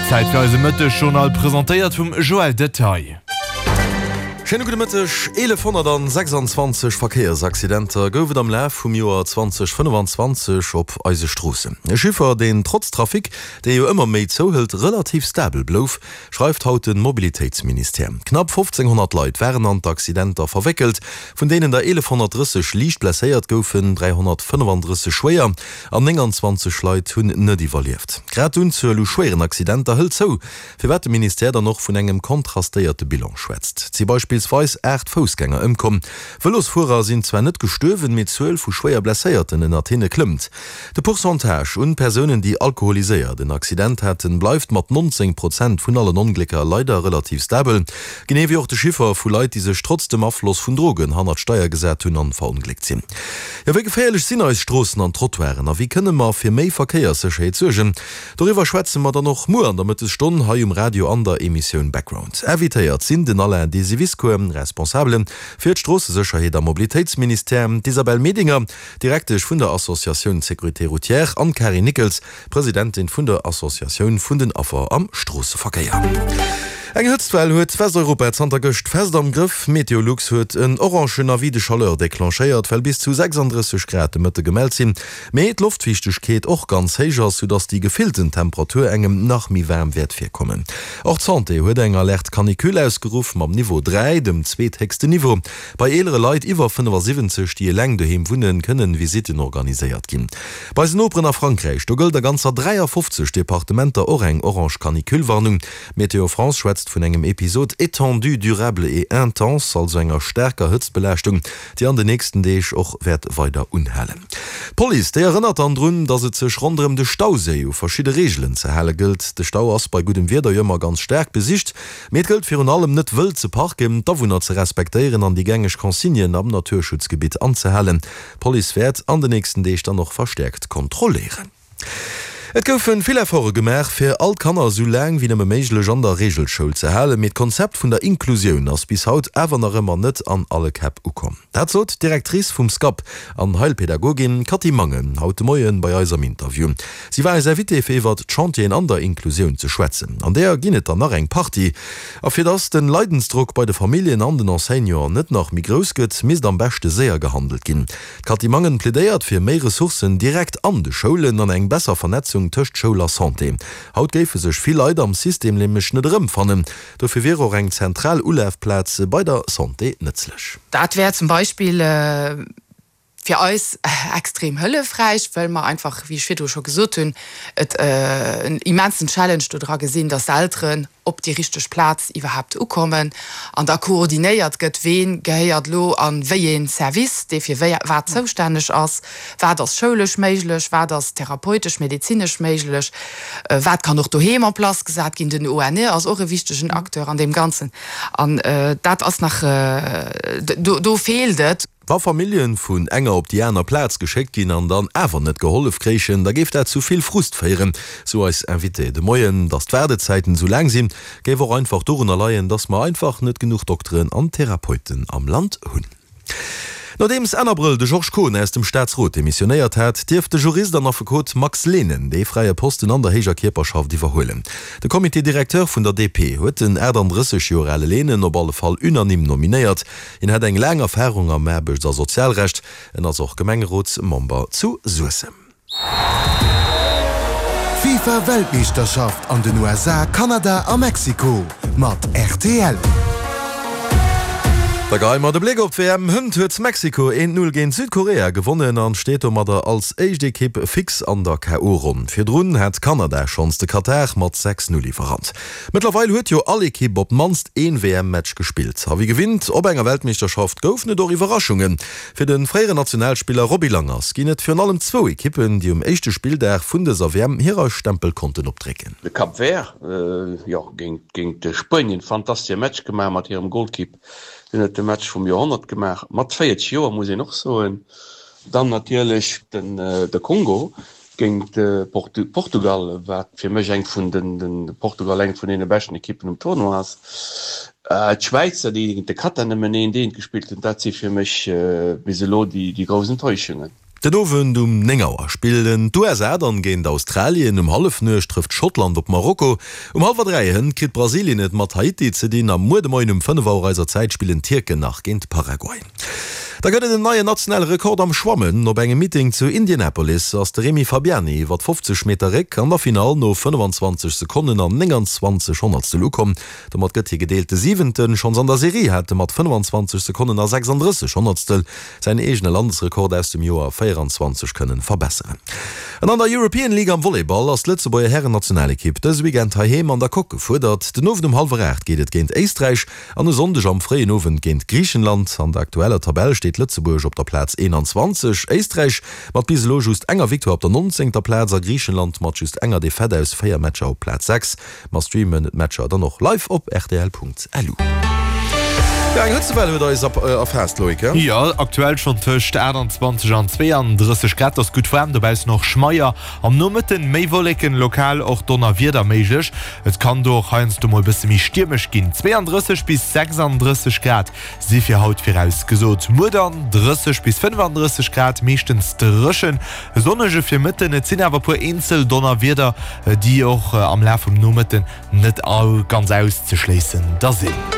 Zäit fir eise Mëttesjournal, presentéiert vum Joël Detaille. Schéine gudde Mëtteg. 1126 Verkéiersaccidenter gouf et am Laf vum Joer 2025 op eise Stroossen. E Chiffer, deen trotz Trafic, dee jo ëmmer méi zouhëlt, relativ stabel blouf, schreift haut de Mobilitéitsministère. Knapp 1.500 Leit waren an d'Accidenter verwéckelt, vun deenen der 1.130 liicht blesséiert goufen, 335 schwéier an 29 Leit hunn net iwwerlieft. Grad d'Unzuel u schwéieren Accidenter hëlt zou, firwat de Ministère dann och vun engem kontrastéierte Bilan schwätzt. Et si beispillsweis 8 Foussgänger ëmkomm. Vëlosfuerer sinn zwar net gestuerwen, mee d'Zuel vu schwéier Blesséierten ënnert hinne klëmmt. De Pourcentage un Persounen, déi alkoholiséiert en Accident haten, bleift mat 19 Prozent vun allen Onglécker leider relativ stabel, genee wéi och de Chiffer vu Leit, déi sech trotz dem Afloss vun Drogen hannert d'Steier gesat hunn an verongléckt sinn. Jo, wéi geféierlech sinn eis Stroossen an Trottoiren a wéi kënne mer fir méi Verkéierssécherheet suergen? Doriwwer schwätze mer dann och muer an der Mëttesstonn hei um Radio an der Emissioun Background. Invitéiert sinn den Alain Desiviscour, Responsabele fir d'Stroossesécherheet am Mobilitéitsministère, d'Isabelle Medinger, Direktesch vun der Associatioun Sécurité Routière, an d'Carine Nickels, Presidentin vun der Associatioun vun den Affer am Stroosseverkéier. Eng Hëtztwell huet Westeuropa zanter gëscht fest am Grëff. Meteolux huet en orangen Avis de chaleur declenchéiert, well bis zu 36 Grad de Mëtte gemellt sinn, mee d'Loftfiichtegkeet och ganz héich ass, soudass déi gefillten Temperatur engem nach méi waarm wäert virkommen. Och d'Santé huet eng Alerte canicule ausgeruff, mam Niveau 3, dem zweethéchsten Niveau. Bei eelere Leit iwwer 75, déi eleng doheem wunnen, kënnen Visitten organiséiert ginn. Bei eisen Noperen a Frankräich, do gëllt a ganzer 53 Departementer och eng orange Canicule-Warnung. Météo France schwätzt vun engem Episode étendu, durable et intense, also enger staarker Hëtztbelaaschtung, déi an de nächsten Deeg och wäert weider unhalen. D'Police, déi erënnert dann drun, datt et sech ronderëm de Stauséi u verschidde Reegelen ze hale gëllt. De Stau ass bei guddem Wieder jo ëmmer ganz staark besicht. Mee et gëllt virun allem net wëll ze parken, d'Awunner ze respektéieren an déi gängeg Consignen am Naturschutzgebitt anzehalen. D'Police wäert an de nächsten Deeg dann och verstäerkt kontrolléieren. Et goufe vill Efforte gemaach, fir all d'Kanner esou laang wéi nëmme méiglech an der Reegelschoul ze halen, mee d'Konzept vun der Inklusioun ass bis haut awer nach ëmmer net an alle Käpp ukomm. Dat sot d'Directrice vum SCAP an Heilpädagogin Cathy Mangen haut de Moie bei eis am Interview. Si war eis Invitée fir iwwert d'Chantieren an der Inklusioun ze schwätzen. An deeër ginn et der nach eng Partie. A fir dass den Leidensdrock bei de Familljen an den Enseignanten net nach méi grouss gëtt, misst am beschte séier gehandelt ginn. D'Cathy Mangen plädéiert fir méi Ressourcen direkt an de Schoulen an eng besser Vernetzung tëscht Schoul a Santé. Haut géife sech vill Leit am System nämlech net erëmfannen. Dofir wier och eng zentral Ulafplaz bei der Santé nëtzlech. Dat wär zum Beispill fir eis extrem hëllefräich, well mer einfach, wéi ech virdru scho gesot hunn, et en immensen Challenge do dra gesinn, dass d'Elteren op déi richteg Plaz iwwerhaapt ukommen an da koordinéiert gëtt, ween gehéiert elo a wéi ee Service, dee fir wéi wat zoustänneg ass, wat ass schoulesch méiglech, wat ass therapeutesch, medezinesch méiglech, wat kann och doheem en place gesat ginn. Den ONE ass och e wichtegen Acteur an deem Ganzen an dat ass nach, do feelt et. Wa Familljen vun enger op déi aner Plaz geschéckt ginn an dann awer net gehollef kréichen, da géif dat zu vill Frust féieren, sou eis Invitée de Moien. Datt d'Waardezäiten esou laang sinn, géif och einfach dorunner leien, datt mer einfach net genuch Dokteren an Therapeuten am Land hunn. Nodeems Enn Abrëll de Georges Kohn aus dem Staatsrot demissionéiert hat, dierf de Jurist an Affekot Max Lehnen dee fräie Posten an der héijer Kierperschaft iwwerhuelen. De Comité directeur vun der DP huet den 38 Joer ale Lehnen op alle Fall unanime nominéiert. Hien hätt eng laang Erfarung am Aarbechts a Sozialrecht. En ass och Gemengerotsmember zu Suessem. D'FIFA Weltmeeschterschaft an den USA, Kanada a Mexiko mat rtl. Da geheie mer de Bléck op d'WM. Hënt huet Mexiko 1, 0 géint Südkorea gewonnen an steet domadder als éischt Ekipp fix an der KO-Ronn. Virdrun hat Kanada schonns de Katar mat 6, 0 iwwerrannt. Mëttlerweil huet jo all Ekipp op d'mannst een WM-Match gespillt. A wéi gewinnt op enger Weltmeeschterschaft goufen et och Iwwerraschungen. Fir de fréieren Nationalspiller Roby Langers ginn et virun allem zwou Ekippen, déi um éischte Spilldag vun dëser WM hirer Stempel konnten opdrécken. De Cap Vert, jo, géint Spuenien, fantastesche Match gemaach mat hirem Golkipp. Deen huet de Match vum Joerhonnert gemaach, mat 40 Joer, muss een och soen. Dann natierlech de Kongo, Géint Portugal, wat fir mech eng vun den, Portugal eng vun deene beschten Ekippen um Tournoi ass. D'Schwäizer, déi géint de Katar nëmmen eent eent gespillt hunn, dat si fir mech bis elo déi grouss Enttäuschungen. Den Owend um 9 Auer spillen d'USA dann géint Australien, um Hallefnuecht trëfft Schottland op Marokko, um hallwer 3 hënt kritt Brasilien et mat Haiti ze dinn a muer de Moien um 5 Auer eiser Zäit spillen d'Tierken nach géint Paraguay. Da gëtt et en neien nationale Rekord am Schwammen. Op engem Meeting zu Indianapolis ass de Rémi Fabiani iwwer 50 Meter Réck an der Finall no 25 Sekonnen an 29 Honnertstel ukomm. Domat gëtt hie gedeelte Siwenten. Schonns an der Serie hat e mat 25 Sekonnen a 36 Honnertstel säin eegene Landesrekord aus dem Joer 24 kënnen verbesseren. An an der European League am Volleyball ass d'Lëtzebuerger Hären-Nationalekipp dëse Weekend heiheem an der Coque gefuerdert. Den Owend um hallwer 8 geet et géint Éisträich an e Sonndeg am fréien Owend géint Griichenland. An der aktueller Tabell steet Lëtzebuerg op der Plaz 21, Éisträich mat bis elo just enger Victoire op der 19. Plaz a Griichenland mat just enger Defaite aus 4 Matcher op Plaz 6. Mer streamen d'Matcher dann och live op rtl.lu. Jo, eng Hëtzewell huet eis erfaasst, Loïc, he? Jo, aktuell schonn tëscht 28 an 32 Grad. Et ass gutt waarm dobaussen, och schmeier. Am Nomëtten méi Wolleken, lokal och Donnerwieder méiglech. Et kann do och heiansdo mol bësse méi stiermesch ginn. 32 bis 36 Grad si fir haut virausgesot. Muer dann 30 bis 35 Grad, meeschtens dréchen. E sonnege Virmëtten, et sinn awer e puer eenzel Donnerwieder, déi och am Laf vum Nomëtten net ganz auszeschléissen da sinn.